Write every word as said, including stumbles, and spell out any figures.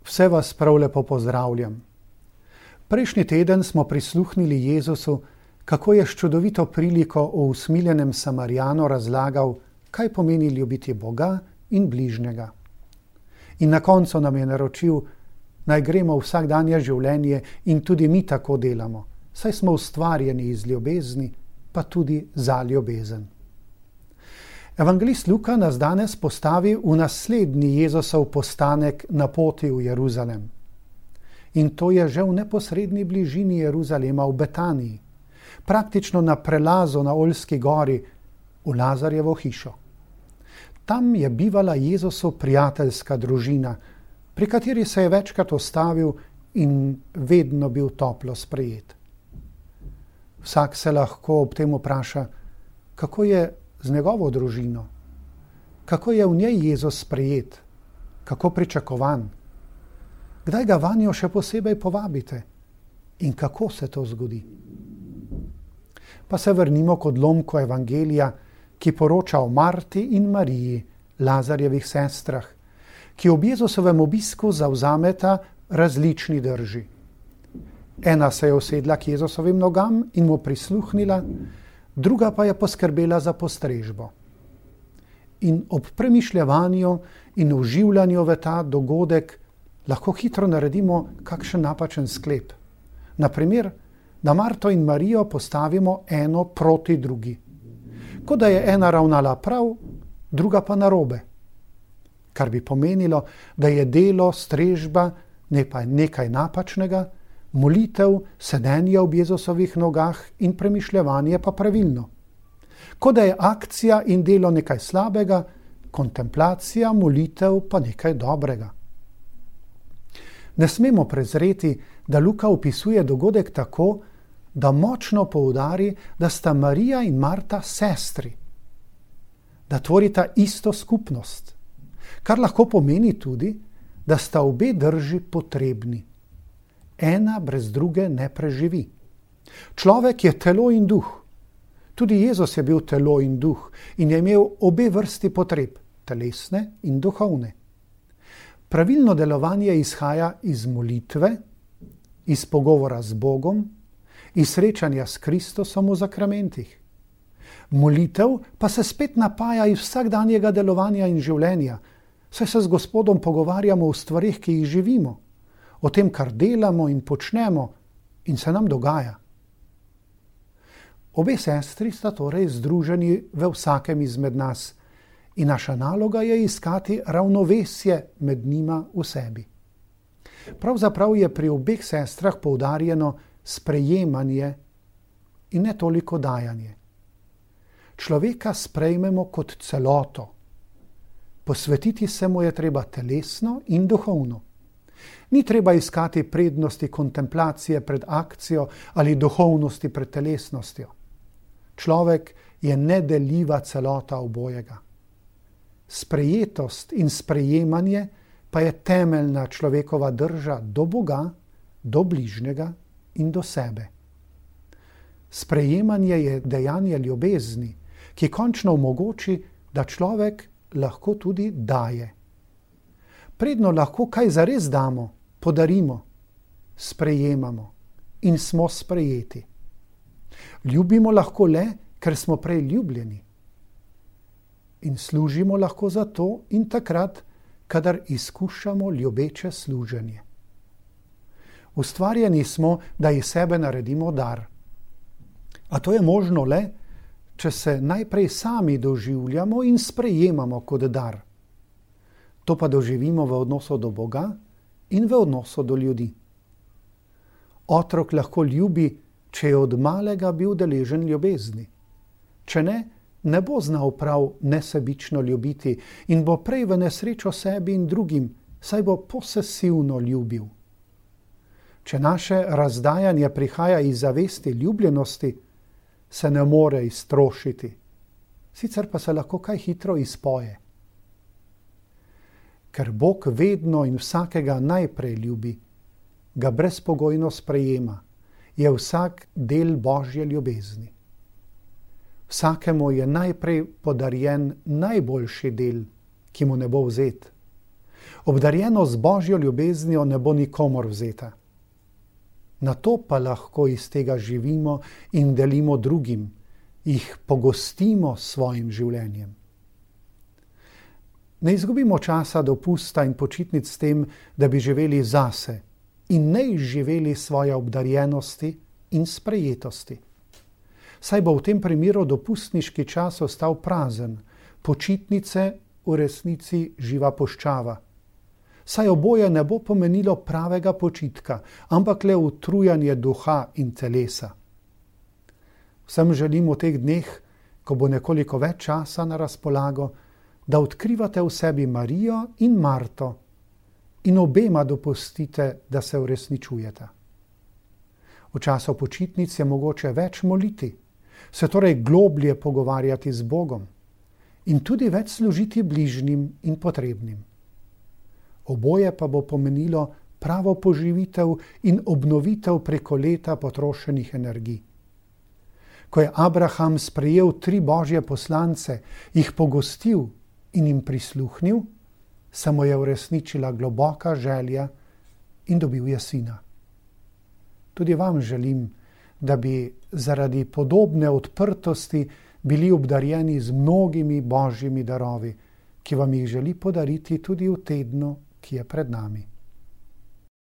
Vse vas prav lepo pozdravljam. Prejšnji teden smo prisluhnili Jezusu, kako je s čudovito priliko o usmiljenem Samarijanu razlagal, kaj pomeni ljubiti Boga in bližnjega. In na koncu nam je naročil, naj gremo v vsakdanje življenje in tudi mi tako delamo, saj smo ustvarjeni iz ljubezni, pa tudi za ljubezen. Evangelist Luka nas danes postavi v naslednji Jezusov postanek na poti v Jeruzalem. In to je že v neposredni bližini Jeruzalema v Betaniji, praktično na prelazu na Oljski gori v Lazarjevo hišo. Tam je bivala Jezusov prijateljska družina, pri kateri se je večkrat ustavil in vedno bil toplo sprejet. Vsak se lahko ob tem vpraša, kako je z njegovo družino, kako je v njej Jezus sprejet, kako pričakovan, kdaj ga vanjo še posebej povabite in kako se to zgodi. Pa se vrnimo k odlomku evangelija, ki poroča o Marti in Mariji, Lazarjevih sestrah, ki ob Jezusovem obisku zavzameta različni drži. Ena se je usedla k Jezusovim nogam in mu prisluhnila, druga pa je poskrbela za postrežbo. In ob premišljevanju in vživljanju v ta dogodek lahko hitro naredimo kakšen napačen sklep. Naprimer, da Marto in Marijo postavimo eno proti drugi. Kot da je ena ravnala prav, druga pa narobe. Kar bi pomenilo, da je delo, strežba nekaj napačnega, molitev, sedenje ob Jezusovih nogah in premišljevanje pa pravilno. Kot da je akcija in delo nekaj slabega, kontemplacija, molitev pa nekaj dobrega. Ne smemo prezreti, da Luka opisuje dogodek tako, da močno poudari, da sta Marija in Marta sestri, da tvorita isto skupnost, kar lahko pomeni tudi, da sta obe drži potrebni. Ena brez druge ne preživi. Človek je telo in duh. Tudi Jezus je bil telo in duh in je imel obe vrsti potreb, telesne in duhovne. Pravilno delovanje izhaja iz molitve, iz pogovora z Bogom, iz srečanja s Kristusom v zakramentih. Molitev pa se spet napaja iz vsakdanjega delovanja in življenja, saj se z Gospodom pogovarjamo o stvarih, ki jih živimo, o tem, kar delamo in počnemo in se nam dogaja. Obe sestri sta torej združeni v vsakem izmed nas in naša naloga je iskati ravnovesje med njima v sebi. Pravzaprav je pri obeh sestrah poudarjeno sprejemanje in ne toliko dajanje. Človeka sprejmemo kot celoto. Posvetiti se mu je treba telesno in duhovno. Ni treba iskati prednosti kontemplacije pred akcijo ali duhovnosti pred telesnostjo. Človek je nedeljiva celota obojega. Sprejetost in sprejemanje pa je temeljna človekova drža do Boga, do bližnjega in do sebe. Sprejemanje je dejanje ljubezni, ki končno omogoči, da človek lahko tudi daje. Predno lahko kaj zares damo, podarimo, sprejemamo in smo sprejeti. Ljubimo lahko le, ker smo prej ljubljeni. In služimo lahko zato in takrat, kadar izkušamo ljubeče služenje. Ustvarjeni smo, da iz sebe naredimo dar. A to je možno le, če se najprej sami doživljamo in sprejemamo kot dar. To pa doživimo v odnosu do Boga in v odnosu do ljudi. Otrok lahko ljubi, če je od malega bil deležen ljubezni. Če ne, ne bo znal prav nesebično ljubiti in bo prej v nesrečo sebi in drugim, saj bo posesivno ljubil. Če naše razdajanje prihaja iz zavesti ljubljenosti, se ne more iztrošiti, sicer pa se lahko kaj hitro izpoje. Ker Bog vedno in vsakega najprej ljubi, ga brezpogojno sprejema, je vsak del Božje ljubezni. Vsakemu je najprej podarjen najboljši del, ki mu ne bo vzet. Obdarjenost z Božjo ljubeznijo ne bo nikomor vzeta. Na to pa lahko iz tega živimo in delimo drugim, jih pogostimo s svojim življenjem. Ne izgubimo časa dopusta in počitnic s tem, da bi živeli zase in ne izživeli svoje obdarjenosti in sprejetosti. Saj bo v tem primeru dopustniški čas ostal prazen, počitnice v resnici živa puščava. Saj oboje ne bo pomenilo pravega počitka, ampak le utrujanje duha in telesa. Vsem želim v teh dneh, ko bo nekoliko več časa na razpolago, da odkrivate v sebi Marijo in Marto in obema dopustite, da se uresničujeta. V času počitnic je mogoče več moliti, se torej globlje pogovarjati z Bogom in tudi več služiti bližnjim in potrebnim. Oboje pa bo pomenilo pravo poživitev in obnovitev preko leta potrošenih energij. Ko je Abraham sprejel tri Božje poslance, jih pogostil in jim prisluhnil, se mu je uresničila globoka želja in dobil je sina. Tudi vam želim, da bi zaradi podobne odprtosti bili obdarjeni z mnogimi Božjimi darovi, ki vam jih želi podariti tudi v tednu, ki je pred nami.